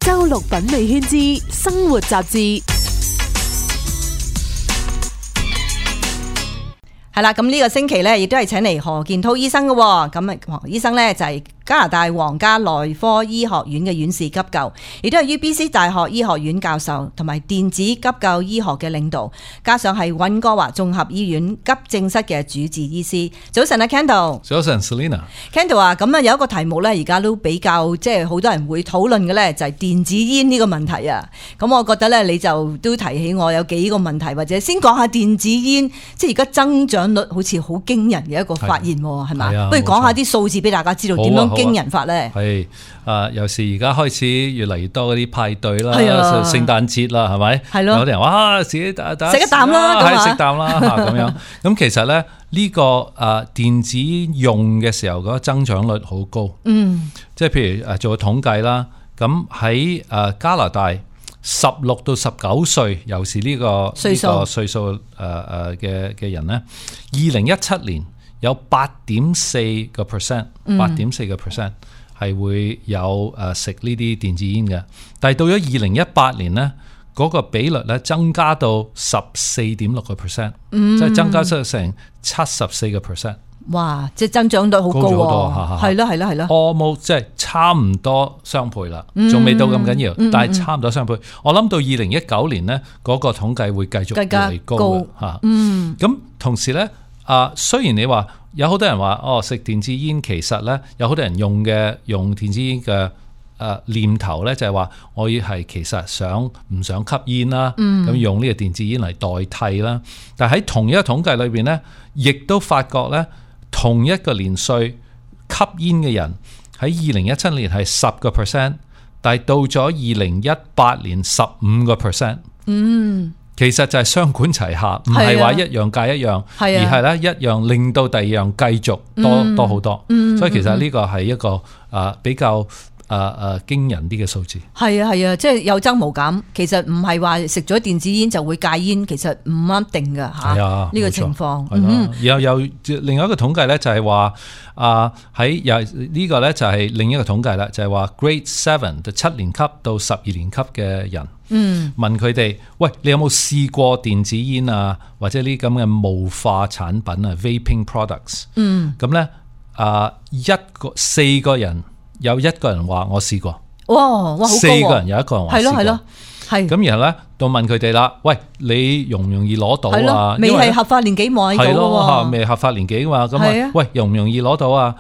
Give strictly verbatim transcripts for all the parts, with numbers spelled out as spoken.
周六品味圈之生活雜誌。係啦，咁呢個星期咧，亦都係請嚟何建滔醫生嘅。咁啊，何醫生咧就係加拿大皇家內科醫學院嘅院士急救，亦都係 U B C 大學醫學院教授，同埋電子急救醫學嘅領導，加上係溫哥華綜合醫院急症室嘅主治醫師。早晨啊 Kendall。早晨 Selena。Kendall 啊，咁啊有一個題目咧，而家都比較即係好多人會討論嘅咧，就係電子煙呢個問題啊。咁我覺得咧，你就都提起我有幾個問題，或者先講下電子煙，即係而家增長率好似好驚人嘅一個發現，係嘛？不如講下啲數字俾大家知道點樣驚人法咧？係啊，尤其而家開始越嚟越多嗰啲派對啦，聖誕節啦，係咪？係咯。有啲人哇，自己打打食一啖啦，係食啖啦嚇咁樣。咁其實咧呢個啊電子用嘅時候嗰個增長率好高。嗯。即係譬如誒做個統計啦，咁喺誒加拿大十六到十九歲，尤其是呢個歲數呢個歲數誒誒嘅嘅人咧，二零一七年有八點四個 percent， 八點四個 percent 係會有誒食呢啲電子煙嘅。但係到咗二零一八年咧，嗰個比率咧增加到十四點六個 percent， 即係增加出成七十四個 percent。哇！即係增長率好高喎，係咯係咯係咯 ，almost 即係差唔多雙倍啦，仲未到咁緊要，嗯、但係差唔多雙倍。嗯、我諗到二零一九年咧，嗰、嗰個統計會繼續越嚟越高嘅嚇。嗯，咁同時咧，啊雖然你話有好多人話哦食電子煙，其實咧有好多人用嘅用電子煙嘅誒念頭咧，就係話我要係其實想唔想吸煙啦，咁、嗯、用呢個電子煙嚟代替啦。但係喺同一個統計裏邊咧，亦都發覺咧。同一個年歲吸煙嘅人喺二零一七年係十個 percent， 但係到咗二零一八年十五個 percent。嗯，其實就係雙管齊下，唔係話一樣戒一樣，啊、而係咧一樣令到第二樣繼續多、嗯、多好多。嗯，所以其實呢個係一個啊比較。誒誒，驚人啲嘅數字係啊係啊，即係有增無減。其實唔係話食咗電子煙就會戒煙，其實唔一定噶吓。係啊，呢個情況。嗯，有有另外一個統計咧，就係話啊喺又呢個咧就係另一個統計啦，就係話 Grade Seven 就七年級到十二年級嘅人，嗯，問佢哋喂，你有冇試過電子煙啊，或者呢咁嘅霧化產品啊 ，vaping products？嗯，咁咧啊一個四個人。有一個人話我試過，哇哇好高喎！四個人有一個人話試過，係咯係咯，係。咁然後咧，到問佢哋啦，喂，你容唔容易攞到啊？未係合法年紀買到嘅喎。係咯，未合法年紀嘛，咁啊，喂，容唔容易攞到啊？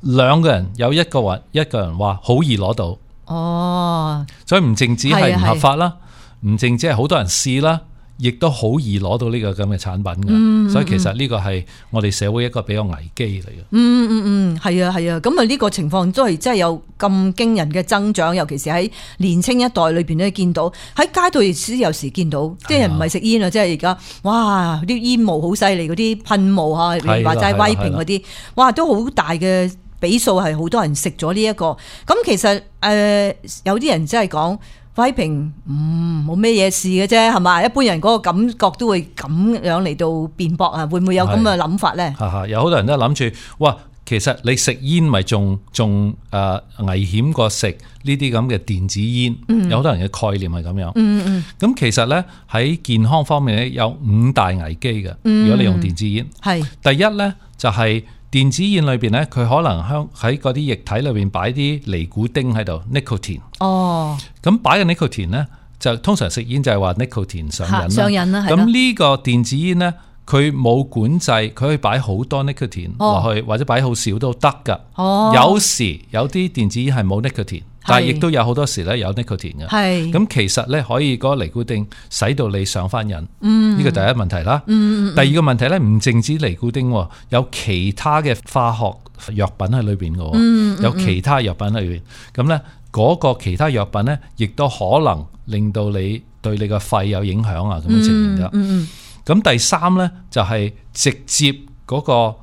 兩個人有一個話，一個人話好易攞到。哦，所以唔淨止係唔合法啦，唔淨止係好多人試啦。亦都好易攞到呢個咁嘅產品嘅，嗯嗯嗯，所以其實呢個係我哋社會一個比較危機嚟嘅。嗯嗯嗯，係啊係啊，咁啊呢個情況都係真係有咁驚人嘅增長，尤其是喺年青一代裏邊咧見到，喺街道亦都有時見到，啲人唔係食煙啊，即係而家哇啲煙霧好犀利，嗰啲噴霧嚇，你話齋威屏嗰啲，哇都好大嘅比數係好多人食咗呢一個。咁其實誒、呃、有啲人真係講。威平嗯冇咩嘢事嘅啫，係嘛？一般人嗰個感覺都會咁樣嚟到辯駁啊，會唔會有咁嘅諗法咧？係係有好多人都諗住，哇！其實你食煙咪仲仲誒危險過食呢啲咁嘅電子煙，嗯、有好多人嘅概念係咁樣。嗯嗯。咁其實咧喺健康方面咧有五大危機嘅，如果你用電子煙，係、嗯、第一咧就係、是。電子煙裏邊咧，佢可能喺喺嗰啲液體裏邊擺啲尼古丁喺度 ，nicotine。哦，咁擺嘅 nicotine 咧，就通常食煙就係話 nicotine 上癮啦。上癮啦，係咯。咁呢個電子煙咧，佢冇管制，佢可以擺好多 nicotine 落去，或者擺好少都得噶。哦，有時有啲電子煙係冇 nicotine。但係亦都有好多時咧有 nicotine 嘅，咁其實咧可以嗰個尼古丁使到你上翻癮，呢、嗯、個第一問題啦。嗯、第二個問題咧唔淨止尼古丁，有其他嘅化學藥品喺裏邊嘅，嗯、有其他藥品喺裏邊。咁咧嗰個其他藥品咧，亦都可能令到你對你個肺有影響啊咁嘅情形㗎。咁、嗯嗯、第三咧就係、是、直接嗰、那個誒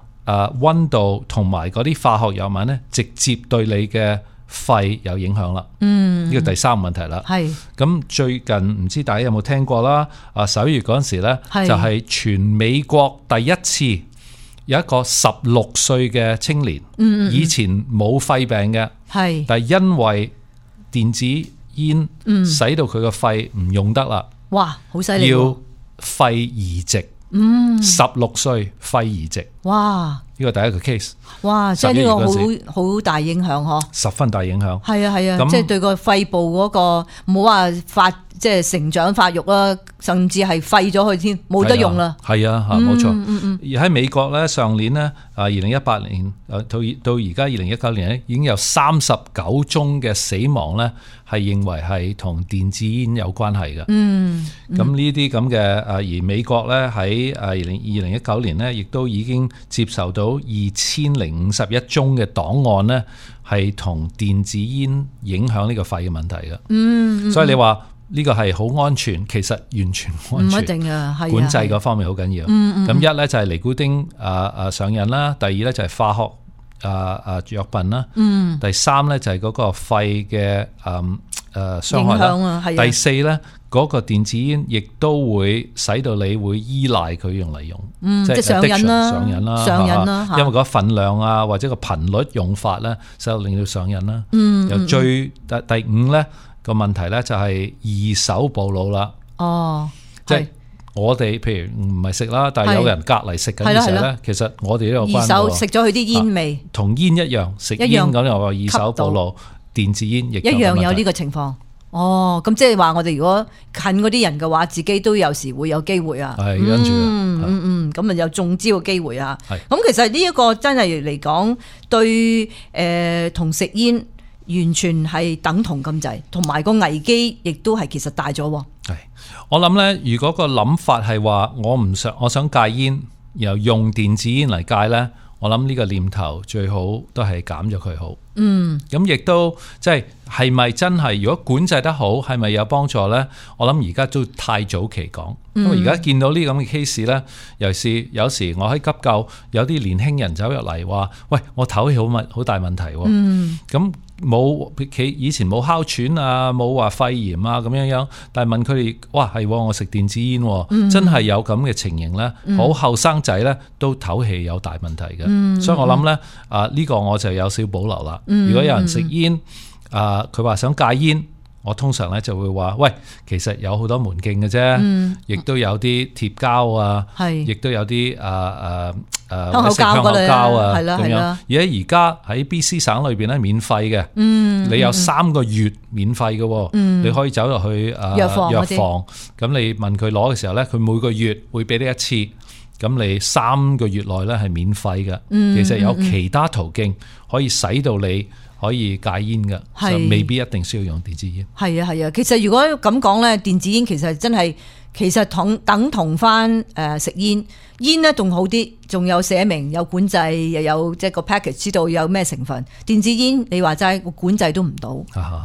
溫、呃、度同埋嗰啲化學藥物咧，直接對你嘅肺有影響啦，嗯，呢個第三個問題啦。係咁最近唔知大家有冇聽過啦？啊十一月嗰陣時咧，就係全美國第一次有一個十六歲嘅青年，嗯，以前冇肺病嘅，係，但係因為電子煙，嗯使到佢個肺唔用得啦，哇，好犀利喎！要肺移植。嗯，十六歲肺移植，哇呢個第一個 case，哇，即係呢個十一月好好大影響嗬。十分大影響。係啊係啊，咁即係對個肺部嗰個唔好話發即係成長發育啦，甚至係廢咗佢添，冇得用啦。係啊，嚇冇錯。嗯嗯嗯而喺美國咧，上年咧啊，二零一八年誒到到而家二零一九年咧，已經有三十九宗嘅死亡咧，係認為係同電子煙有關係嘅。嗯，咁呢啲咁嘅誒，而美國咧喺誒二零二零一九年咧，亦都已經接受到二千零五十一宗嘅檔案咧，係同電子煙影響呢個肺嘅問題嘅。嗯，嗯所以你話呢個係好安全，其實完全唔安全。唔一定啊，係啊管制嗰方面好緊要。咁、嗯嗯、一咧就係尼古丁啊啊上癮啦，第二咧就係化學啊啊藥品啦，嗯，第三咧就係嗰個肺嘅誒誒傷害影響啊係啦。啊第四咧嗰個電子煙亦都會使到你會依賴佢用嚟用，嗯、即係即係上癮啦，上癮啦，上癮啦，因為嗰個份量啊或者個頻率用法咧，使到令到上癮啦。嗯，又最第第五咧個問題咧就係二手暴露啦。哦，即係我哋譬如唔係食啦，但係有人隔離食緊嘅時候咧，其實我哋都有關二手食咗佢啲煙味，同煙一樣，食煙咁又話二手暴露，電子煙亦一樣有呢個情況。哦，咁即係話我哋如果近嗰啲人嘅話，自己都有時會有機會啊。係跟住，嗯嗯嗯，咁啊有中招嘅機會啊。係咁其實呢一個真係嚟講，對誒同食煙完全係等同咁滯，同埋個危機亦都係其實大咗。係我諗咧，如果個諗法係話我唔想，我想戒煙，然後用電子煙嚟戒咧，我諗呢個念頭最好都係減咗佢好。嗯，咁亦都即係係咪真係？如果管制得好，係咪有幫助咧？我諗而家都太早期講，因為而家見到呢咁嘅 case 咧，尤其是有時我喺急救，有啲年輕人走入嚟話：喂，我唞氣好問好大問題喎。嗯，咁冇佢以前冇哮喘啊，冇話肺炎啊咁樣樣，但係問佢哋：哇，係我食電子煙，嗯、真係有咁嘅情形咧，好後生仔咧都唞氣有大問題嘅。嗯、所以我諗咧啊，呢、呢個我就有少保留啦。如果有人食煙，啊佢話想戒煙，我通常咧就會話：喂，其實有好多門徑嘅啫，亦、嗯、都有啲貼膠啊，亦都有啲啊啊啊香口膠嗰類啊，係啦咁樣。而喺而家喺 B C 省裏邊咧，免費嘅，嗯、你有三個月免費嘅，嗯、你可以走入去啊藥房，咁你問佢攞嘅時候咧，佢每個月會俾你一次。咁你三個月內咧係免費嘅，嗯、其實有其他途徑可以使到你可以戒煙嘅，是就未必一定需要用電子煙。係啊係啊，其實如果咁講咧，電子煙其實真係其實同等同翻誒食煙，煙咧仲好啲，仲有寫明有管制，又有即係個 package 知道有咩成分。電子煙你話齋管制都唔到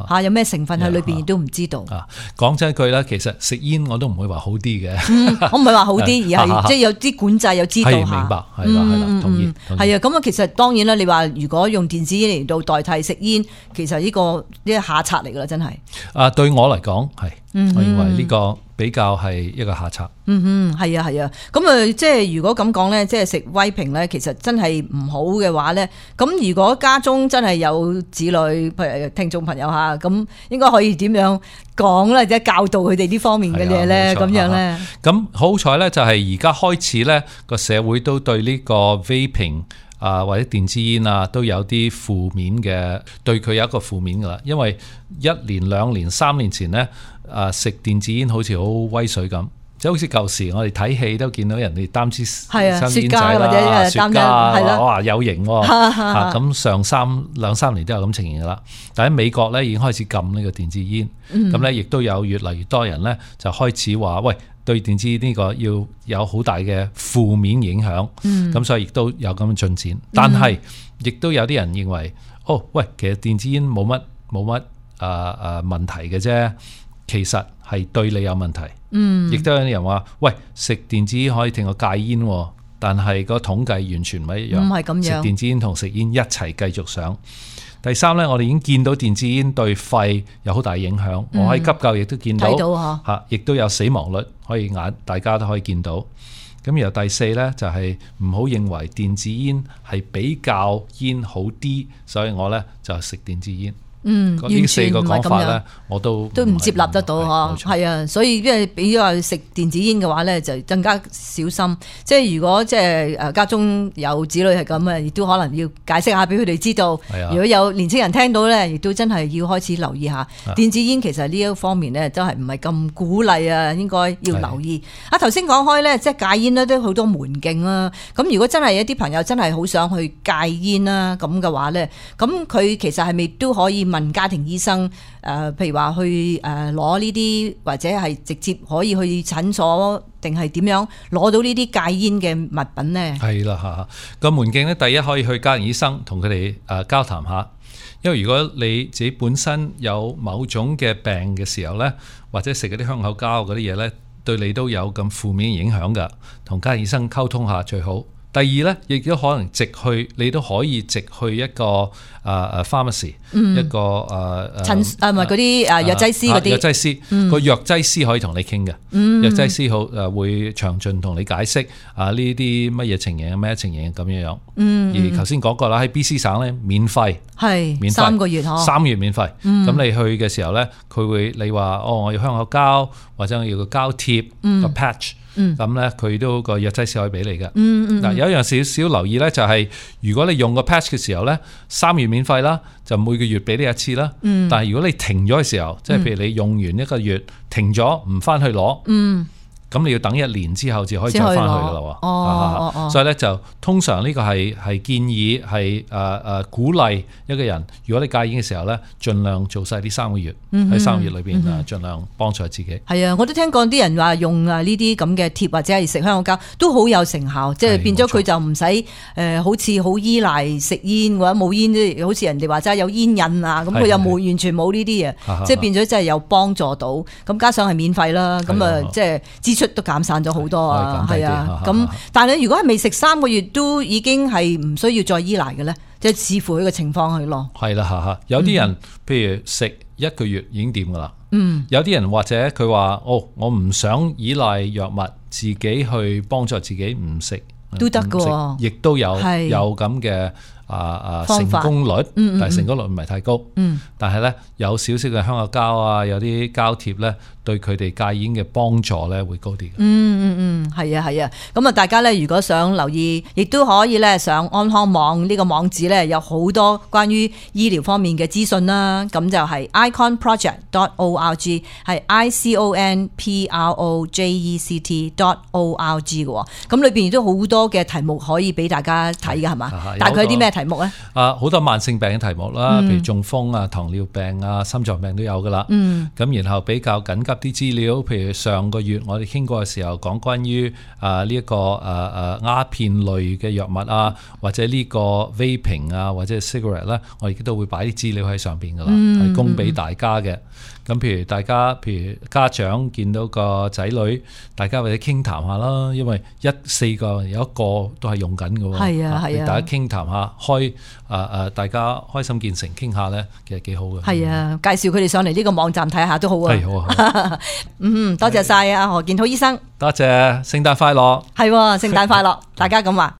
嚇，有咩成分喺裏邊亦都唔知道。啊，講真句啦，其實食煙我都唔會話好啲嘅、嗯。我唔係話好啲，而係即係有啲管制又知道嚇。明白，係啦係啦，同意。係啊，咁啊，其實當然啦，你話如果用電子煙嚟到代替食煙，其實呢、呢個呢個下策嚟㗎啦，真係。啊，對我嚟講係，我認為呢個比較係一個下策。嗯哼，係啊係啊，咁啊，即係如果咁講咧，即係食威平咧，其實真係唔好嘅話咧，咁如果家中真係有子女，譬如聽眾朋友嚇，咁應該可以點樣講咧，或者教導佢哋呢方面嘅嘢咧，咁樣咧。咁好彩咧，就係而家開始咧，個社會都對呢個 vaping 啊或者電子煙啊都有啲負面嘅，對佢有一個負面噶啦，因為一年兩年三年前咧，啊食電子煙好似好威水咁。即係好似舊時我哋睇戲都見到人哋擔支香煙仔啦，或者雪茄啊，哇有型喎！咁上三兩三年都有咁情形噶啦。但喺美國咧已經開始禁呢個電子煙，咁咧亦都有越嚟越多人咧就開始話：喂，對電子煙呢個要有好大嘅負面影響。咁、嗯、所以亦都有咁嘅進展。但係亦都有啲人認為：哦，喂，其實電子煙冇乜冇乜啊啊問題嘅啫。其實係對你有問題，嗯，亦都有啲人話：喂，食電子煙可以令我戒煙，但係個統計完全唔係一樣，唔係咁樣。食電子煙同食煙一齊繼續上。第三咧，我哋已經見到電子煙對肺有好大影響。嗯、我喺急救亦都見到，睇到嚇，亦都有死亡率可以眼大家都可以見到。咁然後第四咧就係唔好認為電子煙係比較煙好啲，所以我咧就食電子煙。嗯，呢四個講法咧，我都都唔接納得到嗬。係啊，所以因為比如話食電子煙嘅話咧，就更加小心。即係如果即係誒家中有子女係咁啊，亦都可能要解釋下俾佢哋知道。如果有年青人聽到咧，亦都真係要開始留意下電子煙。其實呢一方面咧，都係唔係咁鼓勵啊，應該要留意。啊，頭先講開咧，即係戒煙咧，都好多門徑啦。咁如果真係一啲朋友真係好想去戒煙啦，咁嘅話咧，咁佢其實係咪都可以問家庭醫生？誒、呃，譬如話去誒攞呢啲，或者係直接可以去診所，定係點樣攞到呢啲戒煙嘅物品呢？係啦嚇，個門徑咧，第一可以去家庭醫生同佢哋誒交談下。因為如果你自己本身有某種嘅病嘅時候咧，或者食嗰啲香口膠嗰啲嘢咧，對你都有咁負面影響㗎，同家庭醫生溝通下最好。第二咧，亦都可能直去，你都可以直去一個誒誒 pharmacy，一個誒誒診誒唔係嗰啲誒藥劑師嗰啲藥劑師個藥劑師可以同你傾嘅，藥劑師好誒會詳盡同你解釋啊呢啲乜嘢情形咩情形咁樣樣。而頭先講過啦，喺 B C 省咧免費，係免費三個月嗬，三個月免費。咁你去嘅時候咧，佢會你話哦，我要香口膠或者我要個膠貼個 patch。咁咧，佢都個藥劑師可以俾你嘅。嗱、嗯嗯，有一樣少少留意咧，就係如果你用個 patch 嘅時候咧，三月免費啦，就每個月俾你一次啦。嗯、但係如果你停咗嘅時候，即係譬如你用完一個月停咗，唔翻去攞。嗯咁你要等一年之後至可以再翻去噶啦喎。哦哦，所以咧就通常呢個係係建議係誒誒鼓勵一個人，如果你戒煙嘅時候咧，盡量做晒呢三個月，喺三個月裏邊啊，盡量幫助自己。係啊，我都聽講啲人話用啊呢啲咁嘅貼或者係食香口膠都好有成效，即係變咗佢就唔使誒好似好依賴食煙或者冇煙，即好似人哋話齋有煙癮啊，咁佢又冇完全冇呢啲嘢，即係變咗真係有幫助到。咁加上係免費啦，咁啊即係支出都減散咗好多啊，係啊，咁但係如果係未食三個月都已經係唔需要再依賴嘅咧，即係視乎佢嘅情況去咯。係啦，嚇嚇，有啲人、嗯、譬如食一個月已經掂噶啦，嗯，有啲人或者佢話哦，我唔想依賴藥物，自己去幫助自己唔食都得㗎，亦都有有咁嘅。啊啊成功率，嗯嗯但係成功率唔係太高，嗯、但係咧有少少嘅香口膠啊，有啲膠貼咧，對佢哋戒煙嘅幫助咧會高啲。嗯嗯嗯，係啊係啊，咁啊大家咧如果想留意，亦都可以咧上安康網呢個網址咧，有好多關於醫療方面嘅資訊啦。咁就係 icon project dot org， 係 I C O N P R O J E C T dot org 嘅。咁裏邊亦都好多嘅題目可以俾大家睇嘅係嘛？大概啲咩題目咧？啊，好多慢性病嘅題目啦，譬如中風啊、糖尿病啊、心臟病都有噶啦。嗯，咁然後比較緊急啲資料，譬如上個月我哋傾過嘅時候，講關於啊呢一個誒誒鴉片類嘅藥物啊，或者呢個 vaping 啊，或者 cigarette 咧，我哋都會擺啲資料喺上邊噶啦，係、嗯、供俾大家嘅。咁譬如大家，譬如家長見到個仔女，大家或者傾談下啦，因為一四個有一個都係用緊嘅喎。係啊係啊，大家傾談下，開誒誒、呃，大家開心見誠傾下咧，其實幾好嘅。係啊，介紹佢哋上嚟呢個網站睇下都好啊。係好啊。嗯，多謝晒啊何建滔醫生。多謝，聖誕快樂。係，聖誕快樂，大家咁話。